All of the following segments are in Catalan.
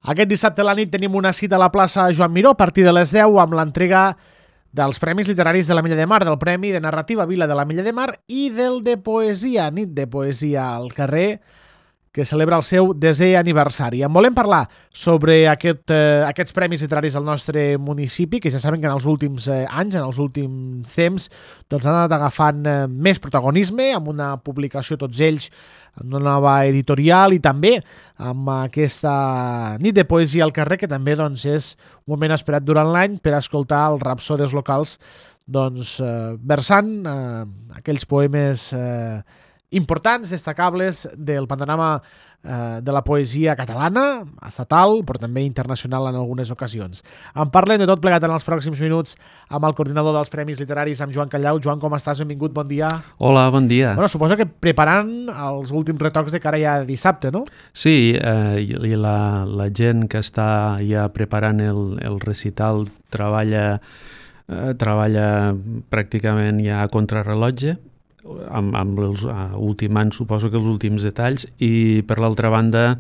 Aquest dissabte a la nit tenim una cita a la plaça Joan Miró a partir de les 10 amb l'entrega dels Premis Literaris de la Milla de Mar, del Premi de Narrativa Vila de la Milla de Mar i del de Poesia, Nit de Poesia al carrer, que celebra el seu 10è aniversari. En volem parlar sobre aquests premis literaris al nostre municipi, que ja saben que en els últims anys, en els últims temps, doncs han anat agafant més protagonisme, amb una publicació tots ells, amb una nova editorial i també amb aquesta nit de poesia al carrer, que també doncs, és un moment esperat durant l'any per escoltar els rapsodes locals doncs, versant aquells poemes importants, destacables del panorama de la poesia catalana, estatal, però també internacional en algunes ocasions. En parlem de tot plegat en els pròxims minuts amb el coordinador dels Premis Literaris, amb Joan Callau. Joan, com estàs? Benvingut, bon dia. Hola, bon dia. Bueno, suposo que preparant els últims retocs de cara ja a dissabte, no? Sí, i la gent que està ja preparant el recital treballa pràcticament ja a contrarrellotge, amb els ultimant, suposo que els últims detalls, i per l'altra banda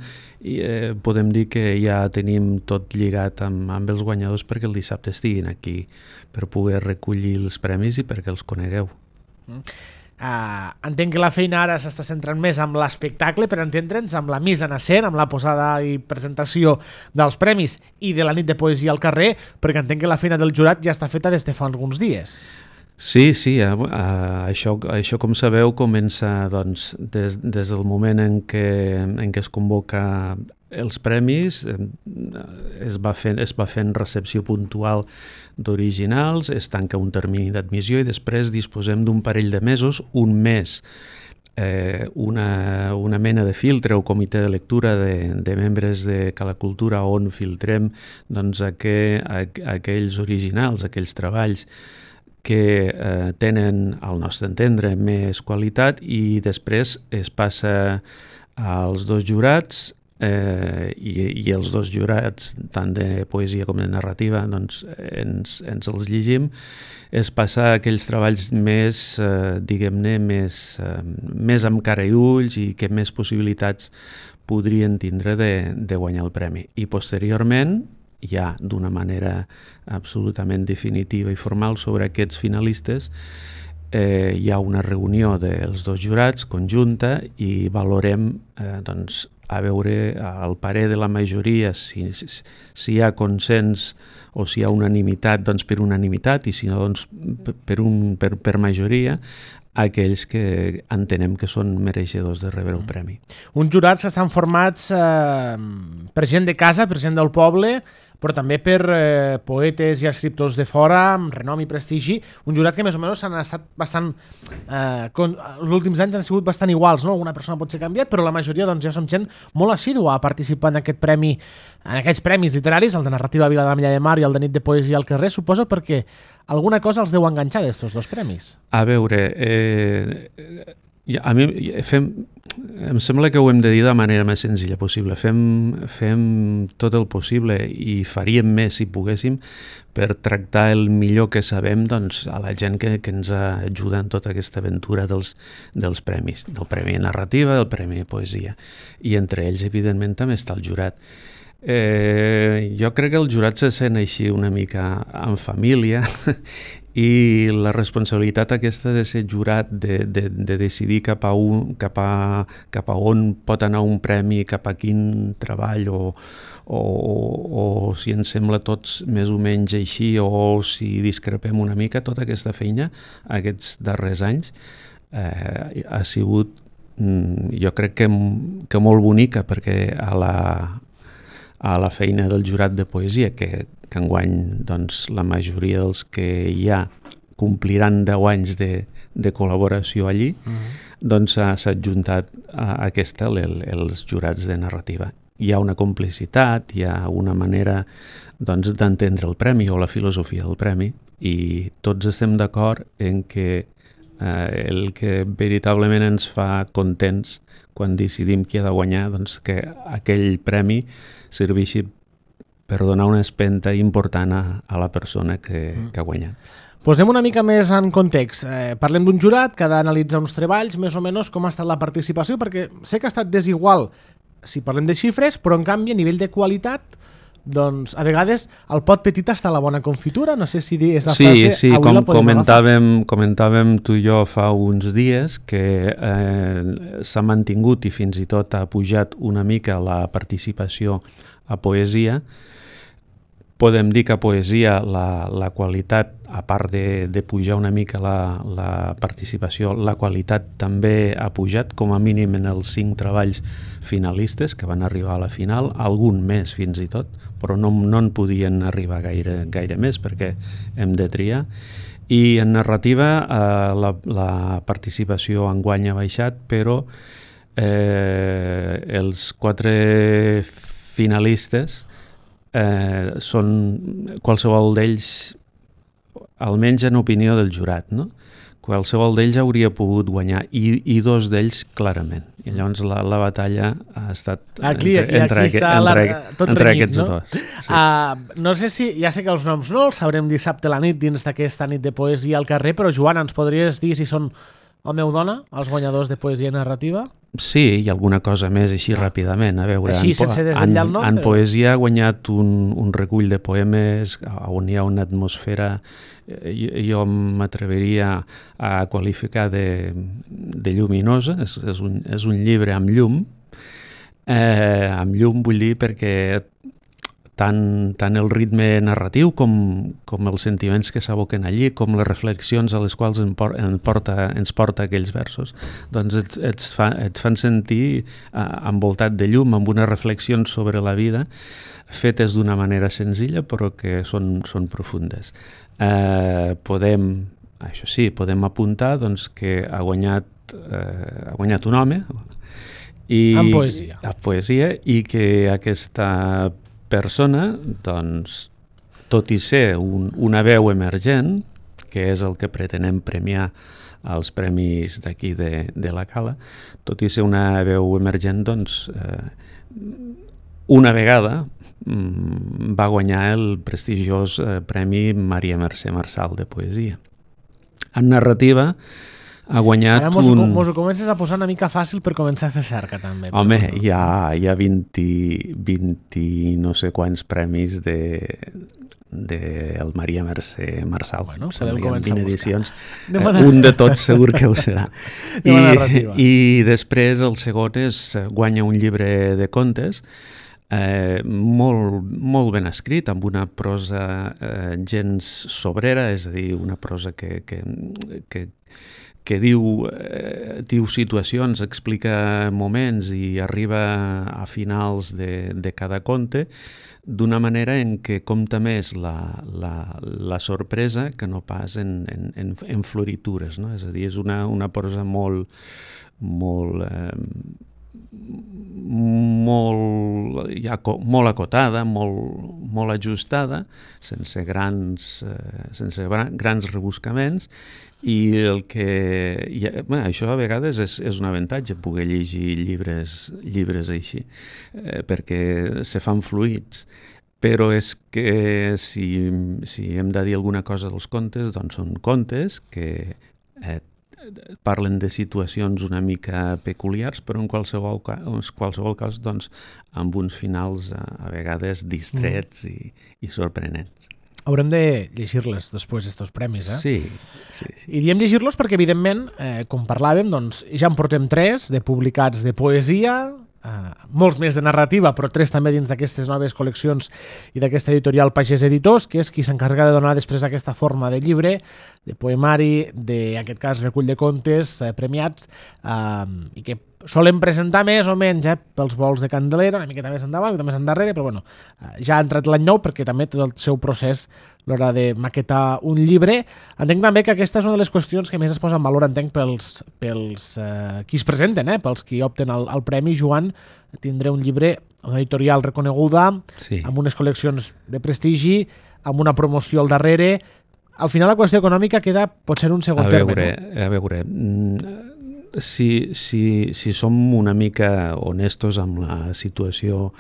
podem dir que ja tenim tot lligat amb els guanyadors perquè el dissabte estiguin aquí per poder recollir els premis i perquè els conegueu. Entenc que la feina ara s'està centrant més amb l'espectacle, per entendre'ns, amb la mise en escena, amb la posada i presentació dels premis i de la nit de poesia al carrer, perquè entenc que la feina del jurat ja està feta des de fa alguns dies. Sí, això com sabeu comença doncs, des del moment en què es convoca els premis, es va fent recepció puntual d'originals, es tanca un termini d'admissió i després disposem d'un parell de mesos, un mes, una mena de filtre o comitè de lectura de membres de Cala Cultura on filtrem doncs, aquells originals, aquells treballs que tenen, al nostre entendre, més qualitat i després es passa als dos jurats i els dos jurats, tant de poesia com de narrativa, doncs ens els llegim. Es passa a aquells treballs més, diguem-ne, més amb cara i ulls i que més possibilitats podrien tindre de guanyar el premi. I posteriorment, ja d'una manera absolutament definitiva i formal sobre aquests finalistes, hi ha una reunió dels dos jurats conjunta i valorem doncs, a veure el parer de la majoria, si hi ha consens o si hi ha unanimitat, doncs per unanimitat, i si no, doncs per majoria, aquells que entenem que són mereixedors de rebre el premi. Uns jurats que estan formats per gent de casa, per gent del poble, però també per poetes i escriptors de fora, amb renom i prestigi. Un jurat que més o menys han estat bastant... els últims anys han sigut bastant iguals, no? Una persona pot ser canviat, però la majoria doncs, ja som gent molt assídua a participar en aquest premi, en aquests premis literaris, el de Narrativa Vila de la Milla de Mar i el de Nit de Poesia al carrer, suposo perquè alguna cosa els deu enganxar d'estos dos premis. A veure, a mi em sembla que ho hem de dir de la manera més senzilla possible. Fem tot el possible i faríem més si poguéssim per tractar el millor que sabem doncs, a la gent que ens ajuda en tota aquesta aventura dels premis, del Premi de Narrativa, del Premi de Poesia. I entre ells, evidentment, també està el jurat. Jo crec que el jurat se sent així una mica en família i la responsabilitat aquesta de ser jurat, de decidir cap a on pot anar un premi, cap a quin treball o si ens sembla tots més o menys així o si discrepem una mica, tota aquesta feina aquests darrers anys ha sigut jo crec que molt bonica, perquè a la feina del jurat de poesia, que enguany doncs, la majoria dels que ja compliran 10 anys de col·laboració allí, doncs s'ha adjuntat a aquesta els jurats de narrativa. Hi ha una complicitat, hi ha una manera doncs, d'entendre el premi o la filosofia del premi i tots estem d'acord en que el que veritablement ens fa contents quan decidim qui ha de guanyar, doncs que aquell premi serveixi per donar una espenta important a la persona que ha guanyat. Posem una mica més en context. Parlem d'un jurat que ha d'analitzar uns treballs, més o menys com ha estat la participació, perquè sé que ha estat desigual si parlem de xifres, però en canvi a nivell de qualitat doncs a vegades el pot petit està la bona confitura, no sé si és la frase... Sí, com comentàvem tu i jo fa uns dies que s'ha mantingut i fins i tot ha pujat una mica la participació a poesia. Podem dir que a poesia la qualitat, a part de pujar una mica la participació, la qualitat també ha pujat, com a mínim en els 5 treballs finalistes que van arribar a la final, algun més fins i tot, però no en podien arribar gaire més perquè hem de triar. I en narrativa la participació enguany ha baixat, però els 4 finalistes són qualsevol d'ells, almenys en opinió del jurat, no? Qualsevol d'ells hauria pogut guanyar i 2 d'ells clarament. I llavors la batalla ha estat entre aquests dos. Sí. No sé si, ja sé que els noms no els sabrem dissabte a la nit dins d'aquesta nit de poesia al carrer, però Joan, ens podries dir si són home o dona, els guanyadors de poesia narrativa? Sí, i alguna cosa més així ràpidament. A veure, així, sense desvetllar el nom, en poesia ha guanyat un recull de poemes on hi ha una atmosfera, jo m'atreviria a qualificar de lluminosa. És un llibre amb llum. Amb llum vull dir perquè tant el ritme narratiu com els sentiments que s'aboquen allí, com les reflexions a les quals ens porta aquells versos, doncs et fan sentir envoltat de llum, amb unes reflexions sobre la vida, fetes d'una manera senzilla, però que són profundes. Podem apuntar doncs, que ha guanyat un home en poesia. A poesia, i que aquesta persona, doncs, tot i ser una veu emergent, que és el que pretenem premiar als premis d'aquí de la Cala, tot i ser una veu emergent, doncs, una vegada va guanyar el prestigiós Premi Maria Mercè Marçal de Poesia. En narrativa ha guanyat ara mos ho comences a posar una mica fàcil per començar a fer cerca també. Home, hi ha 20 no sé quants premis del Maria Mercè Marçal. Bueno, podeu començar a edicions. Un de tots segur que ho serà. I després el segon guanya un llibre de contes molt ben escrit, amb una prosa gens sobrera, és a dir, una prosa que diu situacions, explica moments i arriba a finals de cada conte d'una manera en què compta més la sorpresa que no pas en floritures, no? És a dir, és una prosa molt acotada, molt ajustada, sense grans rebuscaments, i això a vegades és un avantatge, poder llegir llibres així, perquè se fan fluids. Però és que si hem de dir alguna cosa dels contes, doncs són contes que parlen de situacions una mica peculiars, però en qualsevol cas doncs, amb uns finals a vegades distrets i sorprenents. Haurem de llegir-les després d'estos premis, eh? Sí. I diem llegir-los perquè, evidentment, com parlàvem, doncs, ja en portem 3 de publicats de poesia, molts més de narrativa, però 3 també dins d'aquestes noves col·leccions i d'aquesta editorial Pagès Editors, que és qui s'encarrega de donar després aquesta forma de llibre, de poemari, d'aquest cas recull de contes premiats, i que solen presentar més o menys pels vols de Candelera, una miqueta més endavant, una miqueta més endarrere, però bueno, ja ha entrat l'any nou perquè també tot el seu procés a l'hora de maquetar un llibre. Entenc també que aquesta és una de les qüestions que més es posa en valor, entenc, pels qui es presenten, pels qui opten al Premi. Joan, tindré un llibre, una editorial reconeguda, sí, amb unes col·leccions de prestigi, amb una promoció al darrere. Al final la qüestió econòmica queda potser un segon terme. A veure, si som una mica honestos amb la situació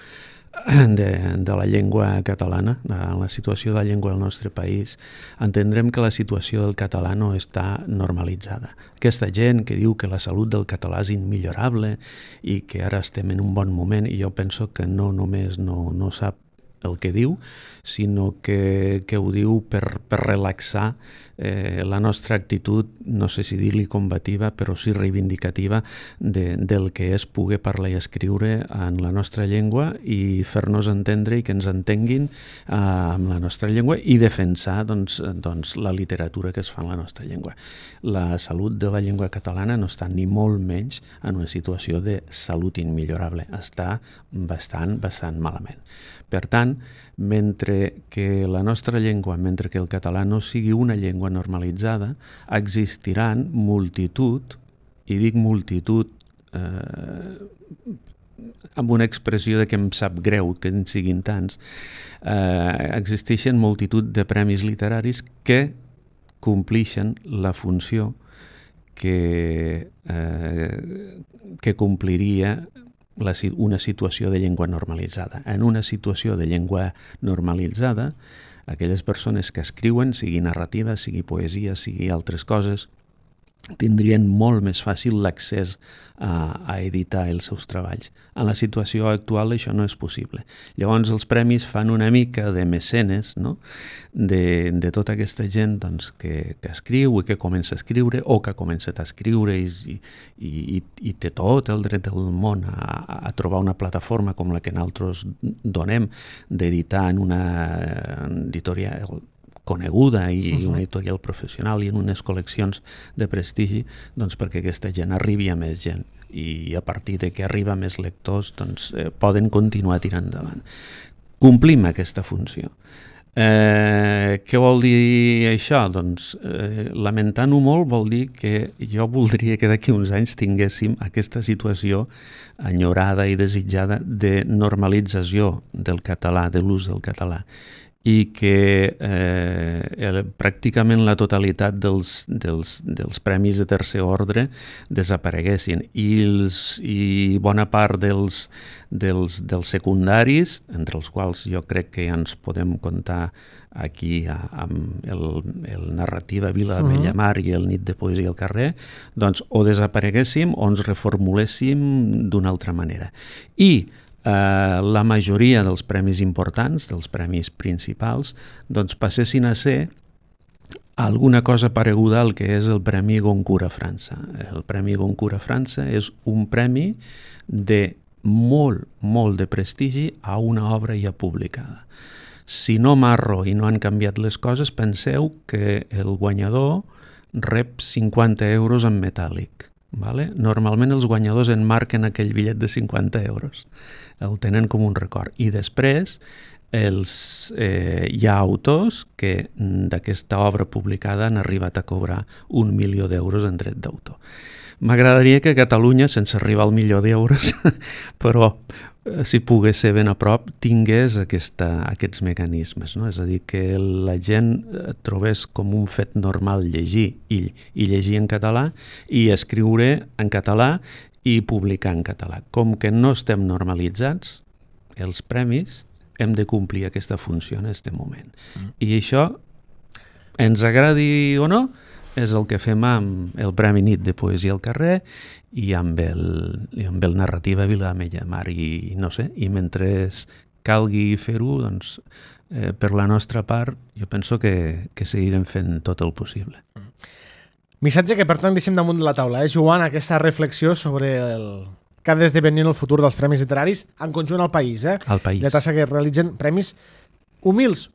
de la llengua catalana, de la situació de la llengua del nostre país, entendrem que la situació del català no està normalitzada. Aquesta gent que diu que la salut del català és immillorable i que ara estem en un bon moment, i jo penso que no només no sap el que diu, sinó que ho diu per relaxar la nostra actitud, no sé si dir-li combativa, però sí reivindicativa del que és poder parlar i escriure en la nostra llengua i fer-nos entendre i que ens entenguin amb la nostra llengua i defensar doncs, la literatura que es fa en la nostra llengua. La salut de la llengua catalana no està ni molt menys en una situació de salut immillorable, està bastant malament. Per tant, mentre que la nostra llengua, mentre que el català no sigui una llengua normalitzada, existiran multitud, i dic multitud amb una expressió de que em sap greu que en siguin tants, existeixen multitud de premis literaris que complixen la funció que compliria una situació de llengua normalitzada. En una situació de llengua normalitzada, aquelles persones que escriuen, sigui narrativa, sigui poesia, sigui altres coses, tindrien molt més fàcil l'accés a editar els seus treballs. En la situació actual això no és possible. Llavors els premis fan una mica de mecenes, no? de tota aquesta gent doncs, que escriu i que comença a escriure o que ha començat a escriure i té tot el dret del món a trobar una plataforma com la que nosaltres donem d'editar en una editorial coneguda i una editorial professional i en unes col·leccions de prestigi, doncs perquè aquesta gent arribi a més gent i a partir de que arriba a més lectors doncs, poden continuar tirant endavant. Complim aquesta funció. Què vol dir això? Doncs lamentant-ho molt vol dir que jo voldria que d'aquí uns anys tinguéssim aquesta situació enyorada i desitjada de normalització del català, de l'ús del català, i que pràcticament la totalitat dels premis de tercer ordre desapareguessin i bona part dels secundaris, entre els quals jo crec que ja ens podem comptar aquí amb el narrativa Vila de Bellamar i el Nit de Poesia al carrer, doncs o desapareguéssim o ens reformuléssim d'una altra manera. I la majoria dels premis importants, dels premis principals, doncs passessin a ser alguna cosa pareguda al que és el Premi Goncourt a França. El Premi Goncourt a França és un premi de molt de prestigi a una obra ja publicada. Si no m'arro i no han canviat les coses, penseu que el guanyador rep 50 euros en metàl·lic. Vale? Normalment els guanyadors enmarquen aquell bitllet de 50 euros, el tenen com un record, i després hi ha autors que d'aquesta obra publicada han arribat a cobrar 1 milió d'euros en dret d'autor. M'agradaria que Catalunya, sense arribar al milió d'euros, però si pogués ser ben a prop, tingués aquests mecanismes, no? És a dir, que la gent trobés com un fet normal llegir i llegir en català i escriure en català i publicar en català. Com que no estem normalitzats, els premis hem de complir aquesta funció en aquest moment. I això, ens agradi o no, és el que fem amb el Premi Nit de Poesia al carrer i amb el Narrativa Vila de Bellamar. I no sé, i mentre calgui fer-ho, doncs, per la nostra part, jo penso que seguirem fent tot el possible. Missatge que, per tant, deixem damunt de la taula, Joan, aquesta reflexió sobre el que ha d'esdevenir el futur dels premis literaris en conjunt al país. Al país. De tassa que realitzen premis humils,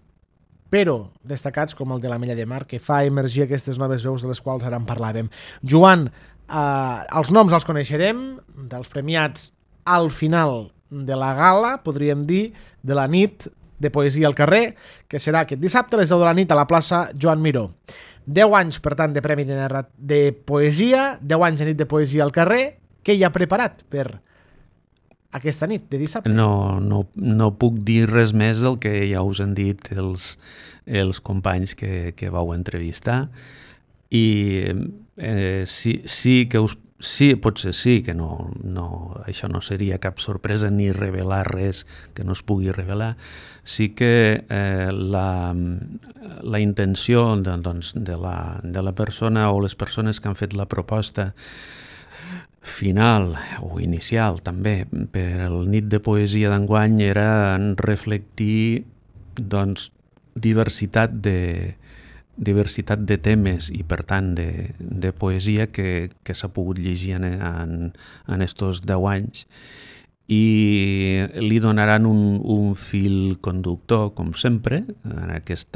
però destacats com el de l'Ametlla de Mar, que fa emergir aquestes noves veus de les quals ara en parlàvem. Joan, els noms els coneixerem, dels premiats al final de la gala, podríem dir, de la nit de Poesia al carrer, que serà aquest dissabte a les 10 de la nit a la plaça Joan Miró. 10 anys, per tant, de Premi de Poesia, 10 anys de nit de Poesia al carrer. Què hi ha preparat per aquesta nit de dissabte? No puc dir res més del que ja us han dit els companys que vau entrevistar, i sí que Sí, potser sí, que això no seria cap sorpresa ni revelar res que no es pugui revelar. Sí que la intenció de la persona o les persones que han fet la proposta final o inicial també per el nit de poesia d'enguany era reflectir diversitat de temes i per tant de poesia que s'ha pogut llegir en estos 10 anys i li donaran un fil conductor com sempre. Aquest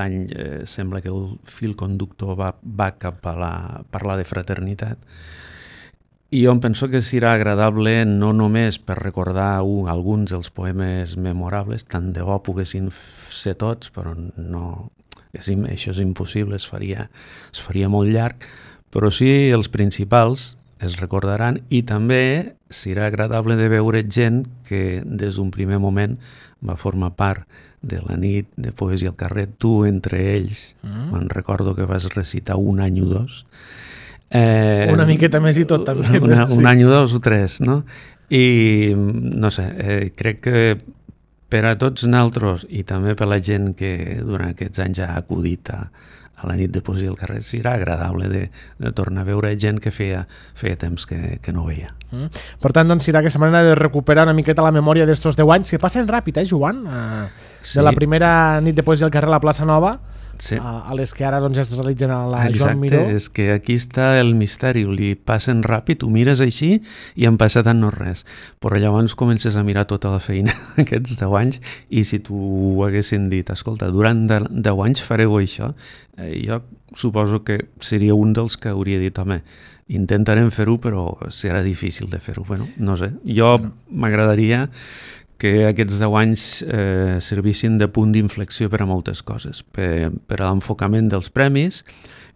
any sembla que el fil conductor va cap a parlar de fraternitat. I jo em penso que serà agradable no només per recordar alguns dels poemes memorables, tant de bo poguessin ser tots, però no, això és impossible, es faria molt llarg, però sí els principals es recordaran i també serà agradable de veure gent que des d'un primer moment va formar part de la nit de poesia al carrer, tu entre ells, me'n recordo que vas recitar un any o dos, una miqueta més i tot també. Un any o dos o tres, no? I no sé, crec que per a tots nosaltres i també per la gent que durant aquests anys ha acudit a la nit de poesia al carrer serà agradable de tornar a veure gent que feia temps que no veia. Per tant, doncs serà aquesta manera de recuperar una miqueta la memòria d'estos 10 anys que passen ràpid, Joan? Sí. De la primera nit de poesia al carrer a la plaça Nova sí. A les que ara doncs, es realitzen a la Joan Miró. Exacte, és que aquí està el misteri, li passen ràpid, ho mires així i han passat en no res, però llavors comences a mirar tota la feina aquests 10 anys i si tu haguessin dit, escolta, durant 10 anys fareu això, jo suposo que seria un dels que hauria dit, home, intentarem fer-ho però serà difícil de fer-ho. Bueno, no sé, jo m'agradaria que aquests 10 anys servissin de punt d'inflexió per a moltes coses, per a l'enfocament dels premis,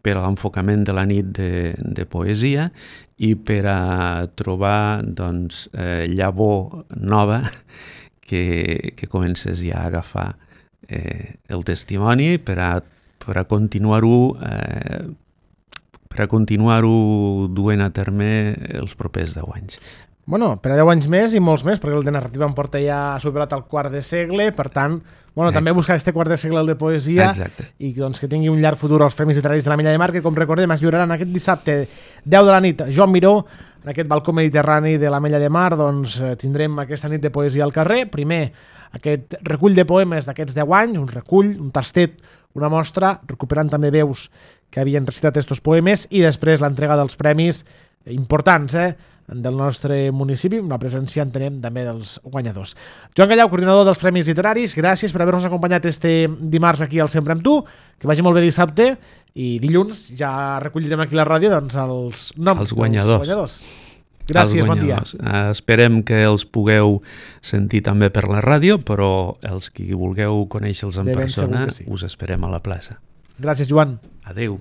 per a l'enfocament de la nit de poesia i per a trobar llavor nova que comences ja a agafar el testimoni per a continuar-ho duent a terme els propers 10 anys. Bueno, per a 10 anys més i molts més, perquè el de narrativa em porta ja superat el quart de segle, per tant, també buscar aquest quart de segle el de poesia. Exacte. I doncs, que tingui un llarg futur als Premis Literaris de la Milla de Mar, que com recordem es lliuraran aquest dissabte 10 de la nit a Joan Miró, en aquest balcó mediterrani de la Milla de Mar, doncs tindrem aquesta nit de poesia al carrer. Primer, aquest recull de poemes d'aquests 10 anys, un recull, un tastet, una mostra, recuperant també veus que havien recitat estos poemes, i després l'entrega dels premis importants, del nostre municipi, una presència, entenem, també dels guanyadors. Joan Gallau, coordinador dels Premis Literaris, gràcies per haver-nos acompanyat este dimarts aquí al Sempre amb tu, que vagi molt bé dissabte, i dilluns ja recollirem aquí a la ràdio doncs, els noms dels guanyadors. Gràcies, bon dia. Esperem que els pugueu sentir també per la ràdio, però els qui vulgueu conèixer-los en persona, us esperem a la plaça. Gràcies, Joan. Adéu.